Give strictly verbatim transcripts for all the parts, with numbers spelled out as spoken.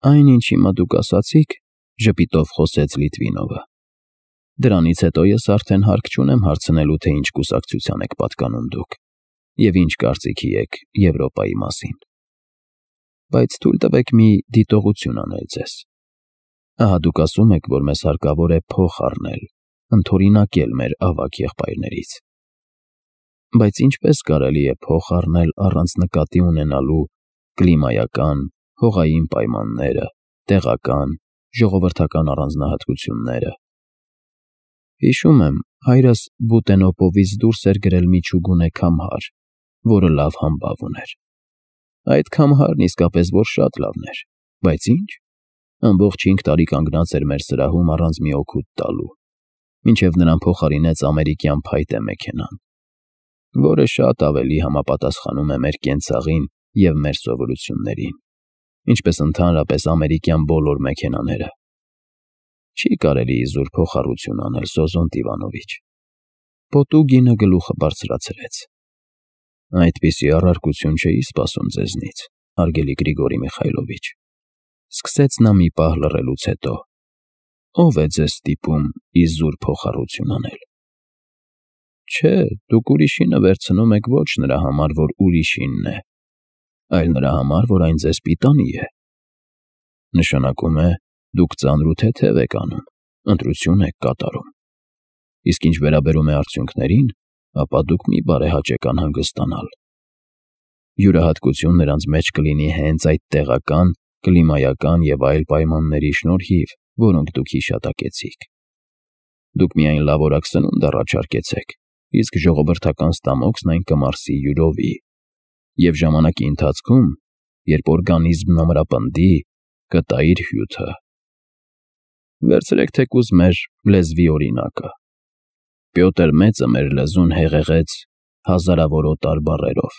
Այն, ինչ հիմա դուք ասացիք,֊ ժպիտով խոսեց Լիտվինովը,֊ դրանից հետո ես արդեն հարկ չունեմ հարցնելու, թե ինչ կուսակցության եք պատկանում դուք և ինչ կարծիքի եք Եվրոպայի մասին, բայց թույլ տվեք մի դիտողություն անել ձեզ. ահա դուք ասում եք, որ մեզ հարկավոր է փող առնել, ընդօրինակել մեր ավագ եղբայրներից, բայց ինչպե՞ս կարելի է փող առնել առանց նկատի ունենալու կլիմայական, հողային պայմանները, տեղական, ժողովրդական առանձնահատկությունները… Հիշում եմ, հայրս Բուտենոպովից դուրս էր գրել մի չուգունե քամհար, որը լավ համբավ ուներ. այդ քամհարն իսկապես որ շատ լավն էր, բայց ի՞նչ, ամբողջ հինգ տարի կանգնած էր մեր սրահում առանց մի օգուտ տալու, մինչև նրան փոխարինեց ամերիկյան փայտե մեքենան, որը շատ ավելի համապատասխանում է մեր կենցաղին և մեր սովորություններին, ինչպես ընդհանրապես ամերիկյան բոլոր մեքենաները… Չի կարելի իզուր փոխառություն անել, Սոզոնտ Իվանովիչ… Պոտուգինը գլուխը բարձրացրեց. Այդպիսի առարկություն չէի սպասում ձեզնից, հարգելի Գրիգորի Միխայլովիչ… Սկսեց նա մի պահ լռելուց հետո. Ո՞վ է ձեզ ստիպում իզուր փոխառություն անել… Չէ, դուք ուրիշինը վերցնում եք ոչ նրա համար, որ ուրիշինն է, այլ նրա համար, որ այն ձեզ պիտանի է… Նշանակում է, դուք ծանր ու թեթև եք անում, ընտրություն եք կատարում… Իսկ ինչ վերաբերում է արդյունքներին, ապա դուք մի բարեհաճ եք անհանգստանալ… Յուրահատկություն նրանց մեջ կլինի հենց այդ տեղական, կլիմայական և այլ պայմանների շնորհիվ, որոնք դուք հիշատակեցիք… Դուք միայն լավորակ սնունդ առաջարկեցեք, իսկ ժողովրդական ստամոքսն այն կմարսի յուրովի, և ժամանակի ընթացքում, երբ օրգանիզմն ամրապնդի, կտա իր հյութը… Վերցրեք թեկուզ մեր լեզվի օրինակը… Պյոտր Մեծը մեր լեզուն հեղեղեց հազարավոր օտար բառերով,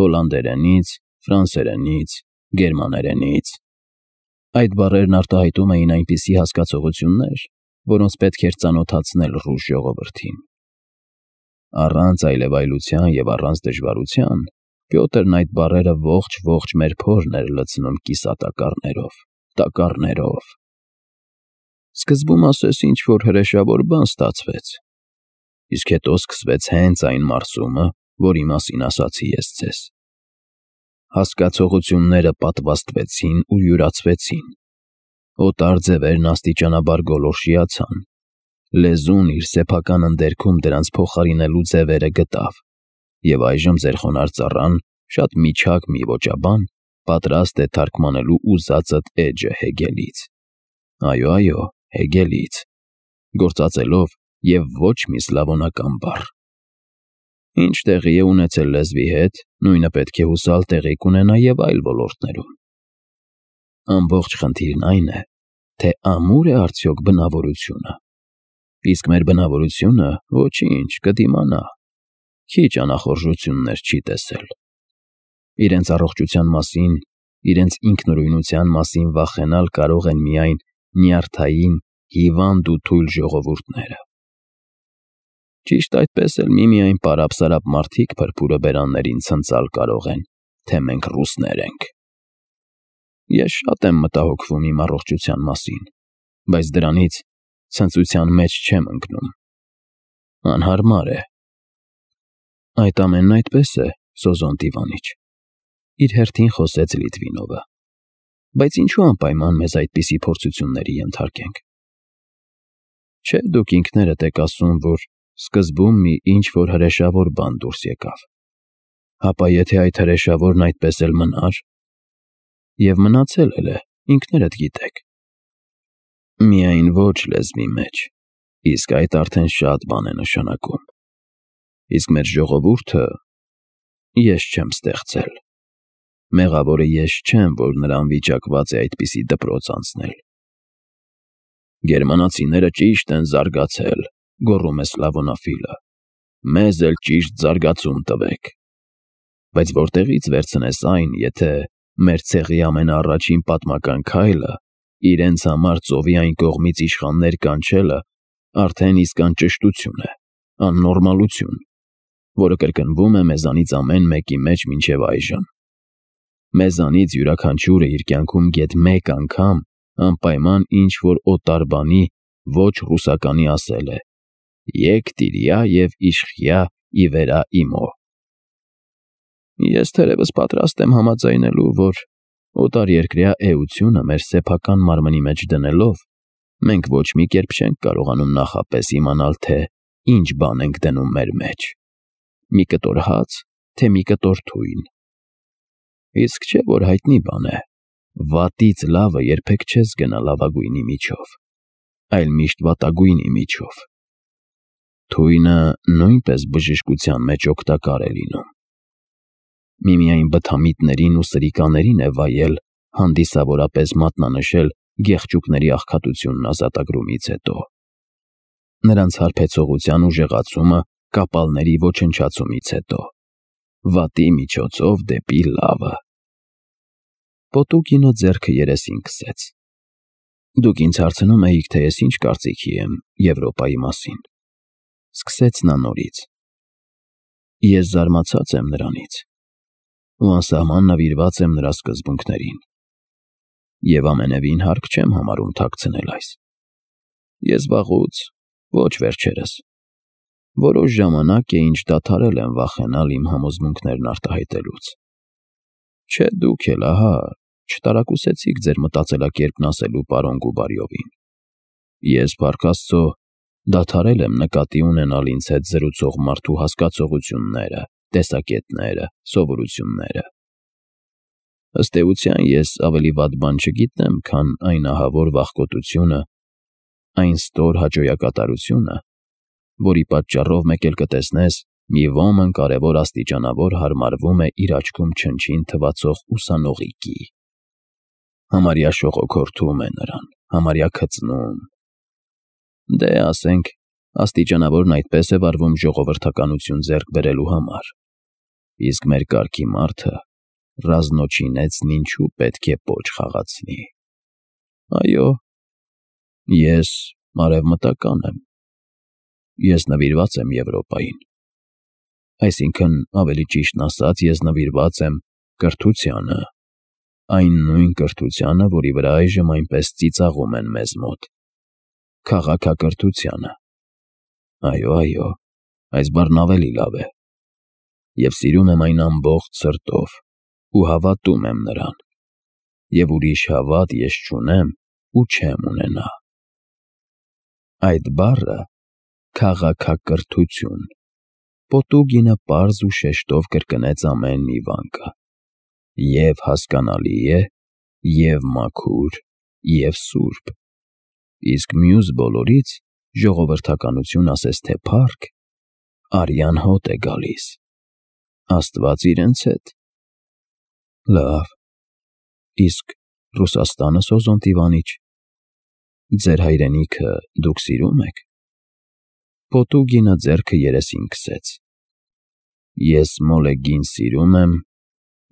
հոլանդերենից, ֆրանսերենից, գերմաներենից… Այդ բառերն արտահայտում էին այնպիսի հասկացություններ, որոնց պետք էր ծանոթացնել ռուս ժողովրդին… Առանց այլևայլության և առանց դժվարության Պյոտրն այդ բառերը ողջ֊ողջ մեր փորն էր լցնում կիսատակառներով, տակառներով… Սկզբում ասես ինչ֊որ հրեշավոր բան ստացվեց, իսկ հետո սկսվեց հենց այն մարսումը, որի մասին ասացի ես ձեզ… Հասկացողությունները պատվաստվեցին ու յուրացվեցին, օտար ձևերն աստիճանաբար գոլորշիացան, լեզուն իր սեփական ընդերքում դրանց փոխարինելու ձևերը գտավ, և այժմ ձեր խոնարհ ծառան, շատ միջակ մի ոճաբան, պատրաստ է թարգմանելու ուզածդ էջը Հեգելից… Այո, այո, Հեգելից… Գործածելով և ոչ մի սլավոնական բառ… Ինչ տեղի է ունեցել լեզվի հետ, նույնը պետք է հուսալ տեղի կունենա և այլ ոլորտներում… Ամբողջ խնդիրն այն է, թե ամու՞ր է արդյոք բնավորությունը… Իսկ մեր բնավորությունը, ոչինչ, կդիմանա… Քիչ անախորժություններ չի տեսել… Իրենց առողջության մասին, իրենց ինքնուրույնության մասին վախենալ կարող են միայն նյարդային, հիվանդ ու թույլ ժողովուրդները… Ճիշտ այդպես էլ միմիայն պարապ֊սարապ մարդիկ փրփուրը բերաններին ցնցալ կարող են, թե մենք ռուսներ ենք… Ես շատ եմ մտահոգվում իմ առողջության մասին, բայց դրանից ցնծության մեջ չեմ ընկնում… Անհարմար է… Այդ ամենն այդպես է, Սոզոնտ Իվանիչ… Իր հերթին խոսեց Լիտվինովը… Բայց ինչու անպայման մեզ այդպիսի փորձությունների ենթարկենք… Չէ, դուք ինքներդ եք ասում, որ սկզբում մի ինչ֊որ հրեշավոր բան դուրս եկավ… Հապա եթե այդ հրեշավորն այդպես էլ մնար… Եվ մնացել էլ է, ինքներդ գիտեք… Միայն ոչ լեզվի մեջ, իսկ այդ արդեն շատ բան է նշանակում… Իսկ մեր ժողովուրդը… Ես չեմ ստեղծել… Մեղավորը ես չեմ, որ նրան վիճակված է այդպիսի դպրոց անցնել… Գերմանացիները ճիշտ են զարգացել, գոռում է Սլավոնաֆիլը… Մեզ էլ ճիշտ զարգացում տվեք… Բայց որտեղի՞ց վերցնես այն, եթե մեր ցեղի ամենաառաջին պատմական քայլը, իրենց համար ծովի այն կողմից իշխաններ կանչելը, արդեն իսկ անճշտություն է, աննորմալություն, որը կրկնվում է մեզանից ամեն մեկի մեջ մինչև այժմ… Մեզանից յուրաքանչյուրը իր կյանքում գեթ մեկ անգամ անպայման ինչ-որ օտար բանի ոչ ռուսականի ասել է. «Եկ տիրյա և իշխյա ի վերա իմո»։ Ես թերևս պատրաստ եմ համաձայնելու, որ օտարերկրյա էությունը մեր սեփական մարմնի մեջ դնելով, մենք ոչ մի կերպ չենք կարողանում նախապես իմանալ, թե ինչ բան ենք դնում մեր մեջ՝ մի կտոր հաց, թե մի կտոր թույն։ Իսկ չէ՞ որ հայտնի բան է. վատից լավը երբեք չես գնա լավագույնի միջով, այլ միշտ վատագույնի միջով։ Թույնը նույնպես բժշկության մեջ օգտակար է լինում։ Միմիայն բթամիտներին ու սրիկաներին է վայել հանդիսավորապես մատնանշել գեղջուկների աղքատությունն ազատագրումից հետո։ Նրանց հարբեցողության ուժեղացումը կապալների ոչնչացումից հետո։ Վատի միջոցով դեպի լավը։ Պոտուկինը ձեռքը երեսին քսեց։ Դուք ինձ հարցնում էիք, թե ես ինչ կարծիքի եմ Եվրոպայի մասին։ Սկսեց նա նորից։ Ես զարմացած եմ նրանից ու անսահման նվիրված եմ նրա սկզբունքներին։ Եվ ամենևին հարկ չեմ համարում թաքցնել այս։ Ես վաղուց, ոչ վերջերս, որոշ ժամանակ է ինչ դադարել եմ վախենալ իմ համոզմունքներն արտահայտելուց։ Չէ դուք էլ, ահա, չտարակուսեցիք ձեր մտածելակերպն ասելու պարոն Գուբարյովին։ Ես, փառք Աստծո, դադարել եմ նկատի ունենալ ինձ հետ զրուցող մարդու հասկացողությունները, տեսակետները, սովորությունները։ Ըստ էության ես ավելի վատ բան չգիտեմ, քան այն ահավոր վախկոտությունը, այն ստոր հաճոյակատարությունը, որի պատճառով մեկ էլ կտեսնես, մի ոմն կարևոր աստիճանավոր հարմարվում է իր աչքում չնչին թվացող ուսանողիկի։ Համարյա շողոքորթում է նրան, համարյա քծնում։ Դե, ասենք, աստիճանավորն այդպես է վարվում ժողովրդականություն ձեռք բերելու համար։ Իսկ մեր կարգի մարդը ռազնոչինեցն ինչու պետք է պոչ խաղացնի։ Այո, ես արևմտական եմ։ Ես նվիրված եմ Եվրոպային։ Այսինքն, ավելի ճիշտն ասած, ես նվիրված եմ կրթությանը, այն նույն կրթությանը, որի վրա այժմ այնպես ծիծաղում են մեզ մոտ, քաղաքակրթությանը։ Այո, այո, այս բառն ավելի լավ է։ Եվ սիրում եմ այն ամբողջ սրտով ու հավատում եմ նրան, և ուրիշ հավատ ես չունեմ ու չեմ ունենա։ Այդ բառը քաղաքակրթություն։ Պոտուկինը պարզ ու շեշտով կրկնեց ամեն մի վանկը։ Եվ հասկանալի է, և մաքուր, և սուրբ։ Իսկ մյուս բոլորից ժողովրդականություն ասես թե փառք, արյան հոտ է գալիս։ Աստված իրենց հետ։ Լավ, իսկ Ռուսաստանը, Սոզոնտ Իվանիչ, ձեր հայրենիքը դուք սիրում եք։ Պոտուկինը ձեռքը երեսին քսեց։ Ես Մոլեգին սիրում եմ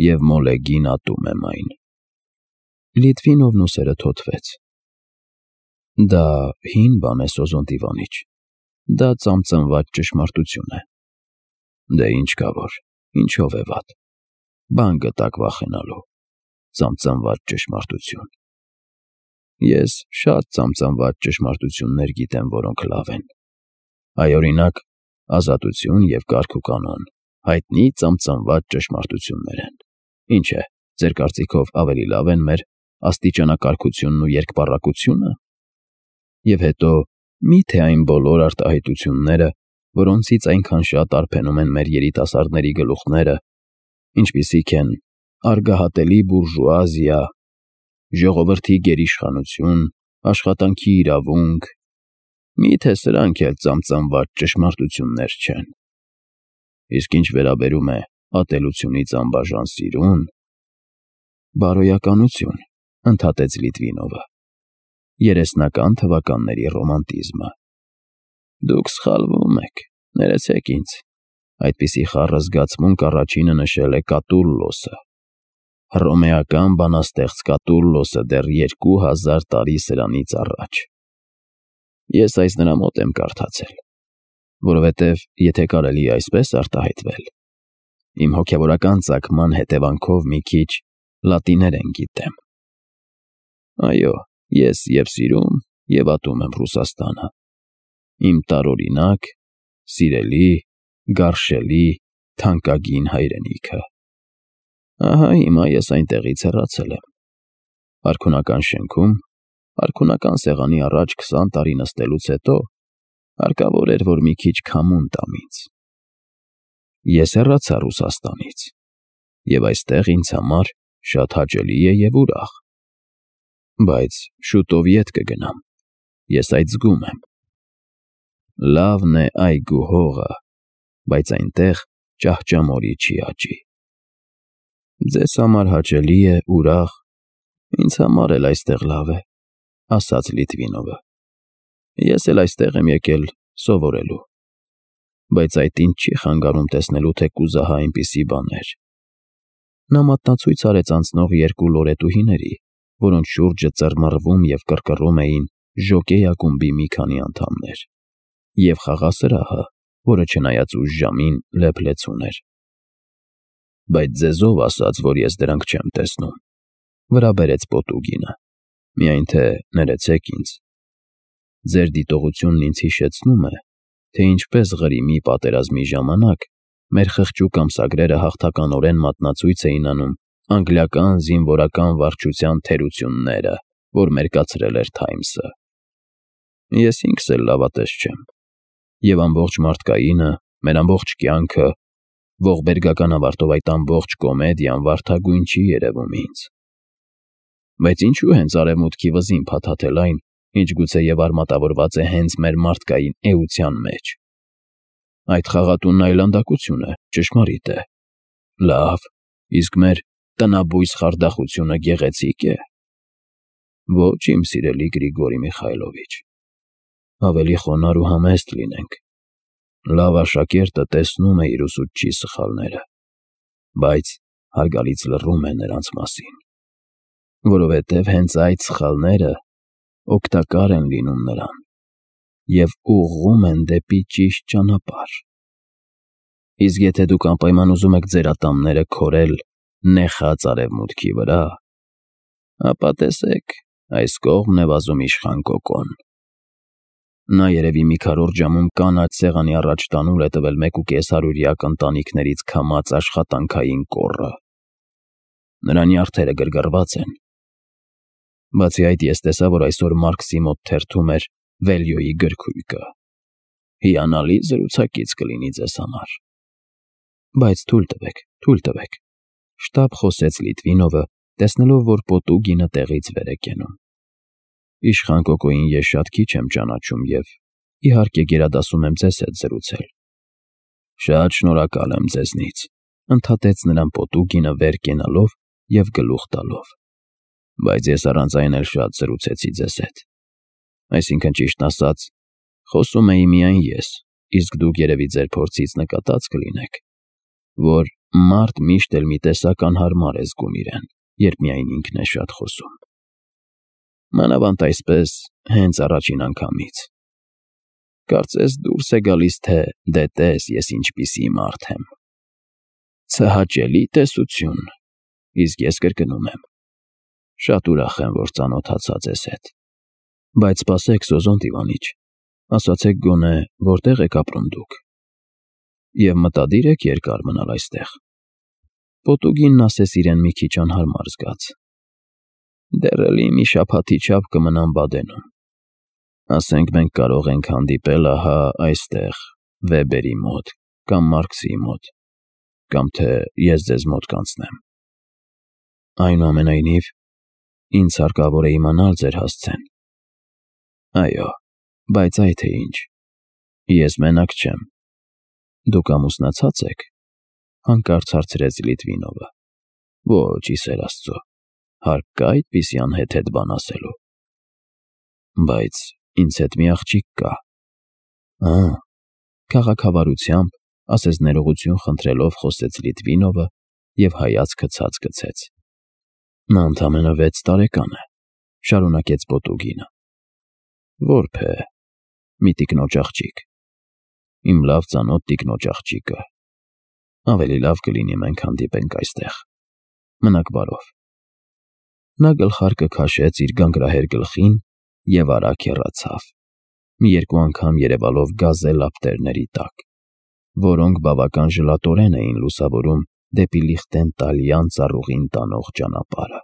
և Մոլեգին ատում եմ այն։ Լիտվինովն ուսերը թոթվեց։ Դա հին բան է, Սոզոնտ Իվանիչ, դա ծամծամված ճշմարտություն է։ Դե ինչ կա որ, ինչով է վատ, բան գտակ վախենալու, ծամծամված ճշմարտություն։ Ես շատ ծամծամված ճշմարտություններ գիտեմ, որոնք լավ են։ Այ, օրինակ, ազատություն և կարգ ու կանոն հայտնի ծամծամված ճշմարտություններ են։ Ինչ է, ձեր կարծիքով ավելի լավ են մեր աստիճանակարգությունն ու երկպառակությունը։ Եվ հետո, մի՞թե այն բոլոր արտահայտությունները, որոնցից այնքան շատ արբենում են մեր երիտասարդների գլուխները, ինչպիսիք են արգահատելի բուրժուազիա, ժողովրդի գերիշխանություն, աշխատանքի իրավունք, մի՞թե սրանք էլ ծամծամված ճշմարտություններ չեն։ Իսկ ինչ վերաբերում է ատելությունից անբաժան սիրուն, բարոյականություն, ընդհատեց Լիտվինովը, երեսնական թվականների ռոմանտիզմը։ Դուք սխալվում եք, ներեցեք ինձ, այդպիսի խառը զգացմունք առաջինը նշել է Կատուլլոսը։ Հռոմեական բանաստեղծ Կատուլլոսը դեռ երկու հազար տարի սրանից առաջ։ Ես այս նրա մոտ եմ կարդացել, որովհետև եթե կարելի է այսպես արտահայտվել, իմ հոգևորական ծագման հետևանքով մի քիչ Լատիներեն գիտեմ։ Այո, ես և սիրում, և ատում եմ Ռուսաստանը։ Իմ տարօրինակ, սիրելի, գարշելի, թանկագին հայրենիքը։ Ահա հիմա ես այնտեղից հեռացել եմ։ Արքունական շենքում, արքունական սեղանի առաջ քսան տարի նստելուց հետո հարկավոր էր, որ մի քիչ քամուն տամ ինձ։ Ես հեռացա Ռուսաստանից, և այստեղ ինձ համար շատ հաճելի է և ուրախ։ Բայց շուտով ետ կգնամ, ես այդ զգում եմ։ Լավն է այգու հողը, բայց այնտեղ ճահճամորի չի աճի։ Ձեզ համար հաճելի է, ուրախ, ինձ համար էլ այստեղ լավ է, ասաց Լիտվինովը։ Ես էլ այստեղ եմ եկել սովորելու։ Բայց այդ ինձ չի խանգարում տեսնելու, թե կուզահա այնպիսի բաներ։ Նա մատնացույց արեց անցնող երկու լորետուհիների, որոնց շուրջը ծռմռվում և կռկռում էին ժոկեյ ակումբի մի քանի անդամներ, և խաղասրահը, որը չնայած ուշ ժամին լեփ-լեցուն էր։ Բայց ձեզ ով ասաց, որ ես դրանք չեմ տեսնում, վրա բերեց Պոտուգինը, միայն թե ներեցեք ինձ։ Ձեր դիտողությունն ինձ հիշեցնում է, թե ինչպես Ղրիմի պատերազմի ժամանակ մեր խղճուկ ամսագրերը հաղթականորեն մատնացույց էին անում անգլիական զինվորական վարչության թերությունները, որ մերկացրել էր Թայմսը։ Ես ինքս էլ լավատես չեմ, և ամբողջ մարդկայինը, մեր ամբողջ կյանքը, ողբերգական ավարտով այդ ամբողջ կոմեդիան վարդագույն չի երևում ինձ։ Բայց ինչու հենց արևմուտքի վզին փաթաթել այն, ինչ գուցեև արմատավորված է հենց մեր մարդկային էության մեջ։ Այդ խաղատունն այլանդակություն է, ճշմարիտ է։ Լավ, իսկ մեր տնաբույս խարդախությունը գեղեցի՞կ է։ Ոչ, իմ սիրելի Գրիգորի Միխայլովիչ, ավելի խոնարհ ու համեստ լինենք։ Լավ աշակերտը տեսնում է իր ուսուցչի սխալները, բայց հարգալից լռում է նրանց մասին, որովհետև հենց այդ սխալները օգտակար են լինում նրան և ուղղում են դեպի ճիշտ ճանապարհ։ Իսկ եթե դուք անպայման ուզում եք ձեր ատամները քորել նեխած արևմուտքի վրա, ապա տեսեք, այս կողմն է վազում իշխան Կոկոն։ Նա երևի մի քառորդ ժամում կանաչ սեղանի առաջ տանուլ է տվել մեկ ու կես հարյուրյակ ընտանիքներից քամած աշխատանքային կոռը։ Նրա նյարդերը գրգռված են։ Բացի այդ, ես տեսա, որ այսօր Մարքսի մոտ թերթում էր Վելյոյի գրքույկը։ Հիանալի զրուցակից կլինի ձեզ համար։ Բայց թույլ տվեք, թույլ տվեք, շտապ խոսեց Լիտվինովը, տեսնելով, որ Պոտուգինը տեղից վեր է կենում։ Իշխան Կոկոյին ես շատ քիչ եմ ճանաչում և, իհարկե, գերադասում եմ ձեզ հետ զրուցել։ Շատ շնորհակալ եմ ձեզնից, ընդհատեց նրան Պոտուգինը վեր կենալով և գլուխ տալով։ Բայց ես առանց այն էլ շատ զրուցեցի ձեզ հետ։ Այսինքն, ճիշտն ասած, խոսում էի միայն ես, իսկ դուք երևի ձեր փորձից նկատած կլինեք, որ մարդ միշտ էլ մի տեսակ անհարմար է զգում իրեն, երբ միայն ինքն է շատ խոսում։ Մանավանդ այսպես հենց առաջին անգամից։ Կարծես դուրս է գալիս, թե դե տես ես ինչպիսի մարդ եմ։ Ցհաճելի տեսություն, իսկ ես կրկնում եմ։ Շատ ուրախ եմ, որ ծանոթացա ձեզ հետ։ Բայց սպասեք, Սոզոնտ Իվանիչ, ասացեք գոնե, որտեղ եք ապրում դուք։ Եվ մտադիր եք երկար մնալ այստեղ։ Պոտուգինն ասես իրեն մի քիչ անհարմար զգաց։ Դեռ էլի մի շաբաթի չափ կմնամ Բադենում։ Ասենք մենք կարող ենք հանդիպել ահա այստեղ, Վեբերի մոտ, կամ Մարքսի մոտ, կամ թե ես ձեզ մոտ կանցնեմ։ Այնուամենայնիվ, ինձ հարկավոր է իմանալ ձեր հասցեն։ Այո, բայց այ թե ինչ, ես մենակ չեմ։ Դուք ամուսնացած եք, հանկարծ հարցրեց Լիտվինովը։ Ոչ, ի սեր Աստծո, հարկ կա այդպիսի անհեթեթ բան ասելու։ Բայց ինձ հետ մի աղջիկ կա։ Ա, քաղաքավարությամբ, ասես ներողություն խնդրելով խոսեց Լիտվինովը և հայացքը ցած գցեց։ Նա ընդամենը վեց տարեկան է, շարունակեց Պոտուգինը։ Որբ է, մի տիկնոջ աղջիկ։ Իմ լավ ծանոթ տիկնոջ աղջիկը։ Ավելի լավ կլինի մենք հանդիպենք այստեղ։ Մնաք բարով։ Նա գլխարկը քաշեց իր գանգրահեր գլխին և արագ հեռացավ, մի երկու անգամ երևալով գազե լապտերների տակ, որոնք բավական ժլատորեն էին լուսավորում դեպի Լիխտենտալյան ծառուղին տանող ճանապարհը։